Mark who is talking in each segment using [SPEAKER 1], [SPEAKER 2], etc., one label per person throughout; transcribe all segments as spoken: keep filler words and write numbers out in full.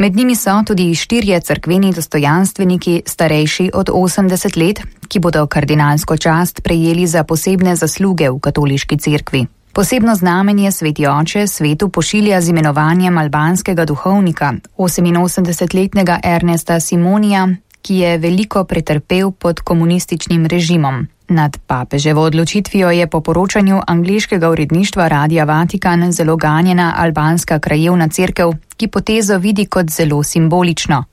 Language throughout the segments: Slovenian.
[SPEAKER 1] Med njimi so tudi štirje cerkveni dostojanstveniki starejši od osemdeset let, ki bodo kardinalsko čast prejeli za posebne zasluge v katoliški cerkvi. Posebno znamenje sveti oče svetu pošilja z imenovanjem albanskega duhovnika, oseminosemdesetletnega Ernesta Simonija, ki je veliko pretrpel pod komunističnim režimom. Nad papeževo odločitvijo je po poročanju angleškega uredništva Radia Vatikan zelo ganjena albanska krajevna cerkev, ki potezo vidi kot zelo simbolično.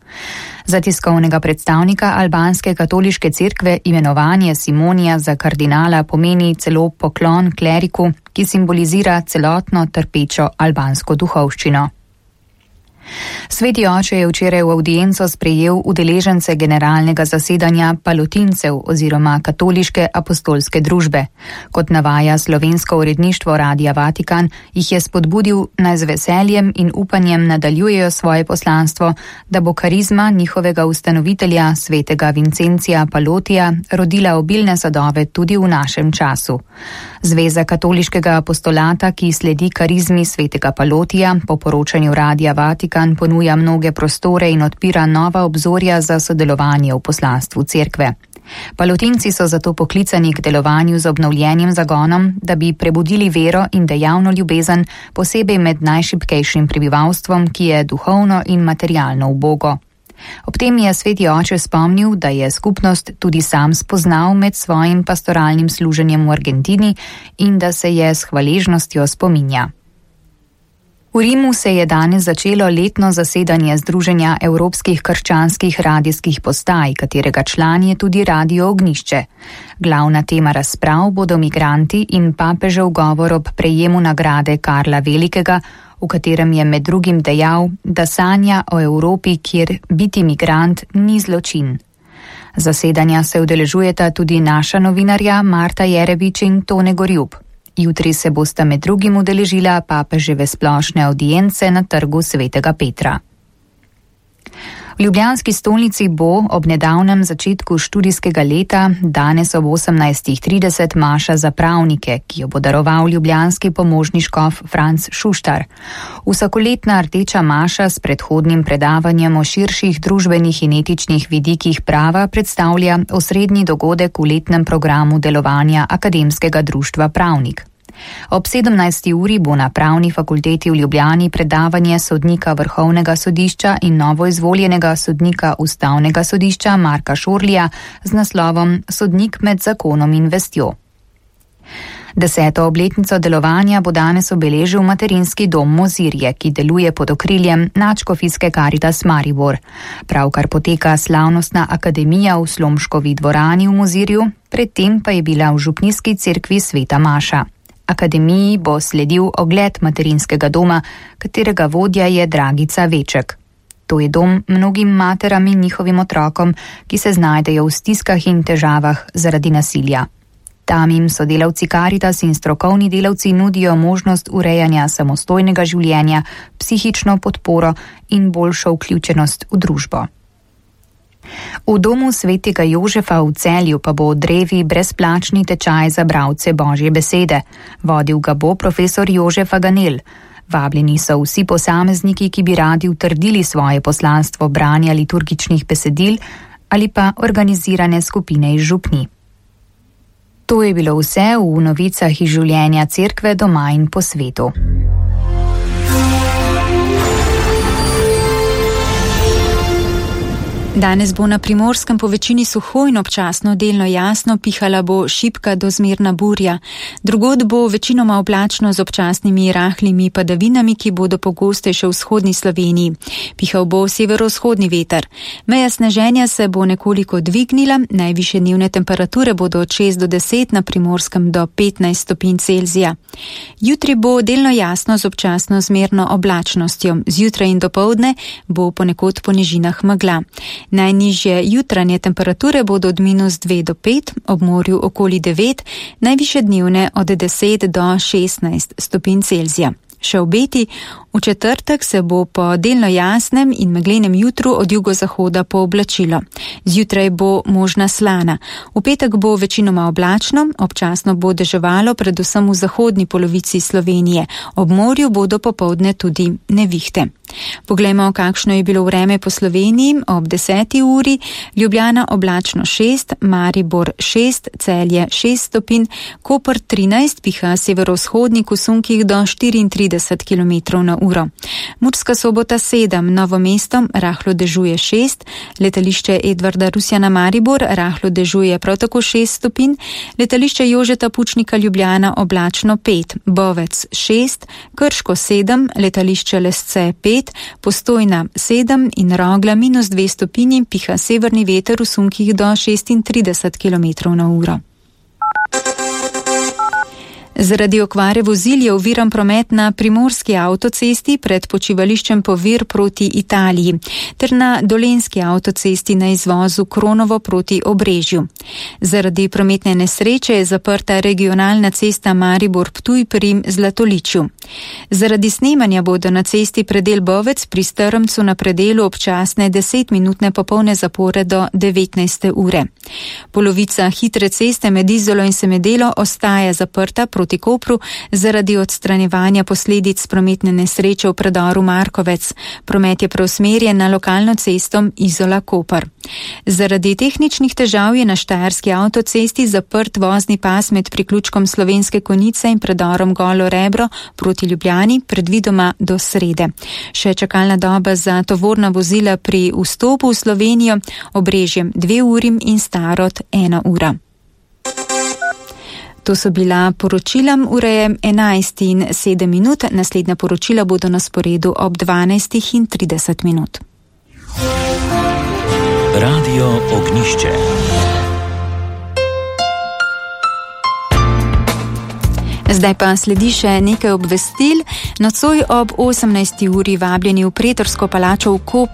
[SPEAKER 1] Za tiskovnega predstavnika albanske katoliške cerkve imenovanje Simonija za kardinala pomeni celo poklon kleriku, ki simbolizira celotno trpečo albansko duhovščino. Sveti oče je včeraj v avdienco sprejel udeležence generalnega zasedanja palotincev oziroma katoliške apostolske družbe. Kot navaja slovensko uredništvo Radia Vatikan, jih je spodbudil, naj z veseljem in upanjem nadaljujejo svoje poslanstvo, da bo karizma njihovega ustanovitelja, svetega Vincencija Palotija, rodila obilne sadove tudi v našem času. Zveza katoliškega apostolata, ki sledi karizmi svetega Palotija, po poročanju Radia Vatikan ponuja mnoge prostore in odpira nova obzorja za sodelovanje v poslanstvu cerkve. Palotinci so zato poklicani k delovanju z obnovljenim zagonom, da bi prebudili vero in dejavno ljubezen, posebej med najšibkejšim prebivalstvom, ki je duhovno in materialno ubogo. Ob tem je sveti oče spomnil, da je skupnost tudi sam spoznal med svojim pastoralnim služenjem v Argentini in da se je s hvaležnostjo spominja. V Rimu se je danes začelo letno zasedanje Združenja evropskih krščanskih radijskih postaj, katerega član je tudi Radio Ognjišče. Glavna tema razprav bodo migranti in papežev govor ob prejemu nagrade Karla Velikega, v katerem je med drugim dejal, da sanja o Evropi, kjer biti migrant ni zločin. Zasedanja se udeležujeta tudi naša novinarja Marta Jerebič in Tone Gorjub. Jutri se bosta med drugim udeležila papeževe splošne avdience na trgu svetega Petra. V ljubljanski stolnici bo ob nedavnem začetku študijskega leta danes ob osemnajstih trideset maša za pravnike, ki jo bo daroval ljubljanski pomožni škof Franc Šuštar. Vsakoletna rdeča maša s predhodnim predavanjem o širših družbenih in etičnih vidikih prava predstavlja osrednji dogodek v letnem programu delovanja Akademskega društva Pravnik. Ob sedemnajsti uri bo na Pravni fakulteti v Ljubljani predavanje sodnika Vrhovnega sodišča in novoizvoljenega sodnika Ustavnega sodišča Marka Šorlija z naslovom Sodnik med zakonom in vestjo. Deseto obletnico delovanja bo danes obeležil materinski dom Mozirje, ki deluje pod okriljem Nadškofijske Karitas Maribor. Pravkar poteka slavnostna akademija v Slomškovi dvorani v Mozirju, predtem pa je bila v župnijski cerkvi Sveta Maša. Akademiji bo sledil ogled materinskega doma, katerega vodja je Dragica Veček. To je dom mnogim materam in njihovim otrokom, ki se znajdejo v stiskah in težavah zaradi nasilja. Tam jim sodelavci Karitas in strokovni delavci nudijo možnost urejanja samostojnega življenja, psihično podporo in boljšo vključenost v družbo. V domu svetega Jožefa v Celju pa bo drevi brezplačni tečaj za bralce Božje besede. Vodil ga bo profesor Jožef Aganel. Vabljeni so vsi posamezniki, ki bi radi utrdili svoje poslanstvo branja liturgičnih besedil ali pa organizirane skupine iz župni. To je bilo vse v novicah iz življenja cerkve doma in po svetu.
[SPEAKER 2] Danes bo na Primorskem po večini suho in občasno delno jasno, pihala bo šibka do zmerna burja. Drugod bo večinoma oblačno z občasnimi rahlimi padavinami, ki bodo pogostejše v vzhodni Sloveniji. Pihal bo severovzhodni veter. Meja sneženja se bo nekoliko dvignila, najvišje dnevne temperature bodo od šest do deset, na Primorskem do petnajst stopinj Celzija. Jutri bo delno jasno z občasno zmerno oblačnostjo. Zjutraj in dopoldne bo ponekod po nižinah megla. Najnižje jutranje temperature bodo od minus dve do pet, ob morju okoli devet, najviše dnevne od deset do šestnajst stopinj Celzija. Še obeti, v četrtek se bo po delno jasnem in meglenem jutru od jugozahoda pooblačilo. Zjutraj bo možna slana. V petek bo večinoma oblačno, občasno bo deževalo predvsem v zahodni polovici Slovenije. Ob morju bodo popoldne tudi nevihte. Poglejmo, kakšno je bilo vreme po Sloveniji ob deseti uri. Ljubljana oblačno šest, Maribor šest, Celje šest stopinj, Koper trinajst, piha severovzhodnik v sunkih do štiriintrideset kilometrov na uro. Murska Sobota sedem, Novo mesto rahlo dežuje šest, letališče Edvarda Rusjana Maribor rahlo dežuje prav tako šest stopinj, letališče Jožeta Pučnika Ljubljana oblačno pet, Bovec šest, Krško sedem, letališče Lesce pet, Postojna sedem in Rogla minus dve stopinji, piha severni veter v sunkih do šestintrideset kilometrov na uro. Zaradi okvare vozil je oviran promet na primorski avtocesti pred počivališčem Povir proti Italiji ter na dolenski avtocesti na izvozu Kronovo proti Obrežju. Zaradi prometne nesreče je zaprta regionalna cesta Maribor-Ptuj pri Zlatoličju. Zaradi snemanja bodo na cesti predel Bovec pri Strmcu na predelu občasne desetminutne popolne zapore do devetnajste ure. Polovica hitre ceste med Izolo in Semedelo ostaja zaprta proti Kopru zaradi odstranjevanja posledic prometne nesreče v predoru Markovec. Promet je preusmerjen na lokalno cesto Izola-Koper. Zaradi tehničnih težav je na štajerski avtocesti zaprt vozni pas med priključkom Slovenske Konjice in predorom Golo Rebro proti Ljubljani, predvidoma do srede. Še čakalna doba za tovorna vozila pri vstopu v Slovenijo, Obrežjem dve uri in Starod ena ura. To so bila poročila, ura je enajst in sedem minut, naslednja poročila bodo na sporedu ob dvanajst in trideset minut.
[SPEAKER 3] Radio Ognišče.
[SPEAKER 2] Zdaj pa sledi še nekaj obvestil. Nocoj ob osemnajsti uri vabljeni v Pretorsko palačo v Koper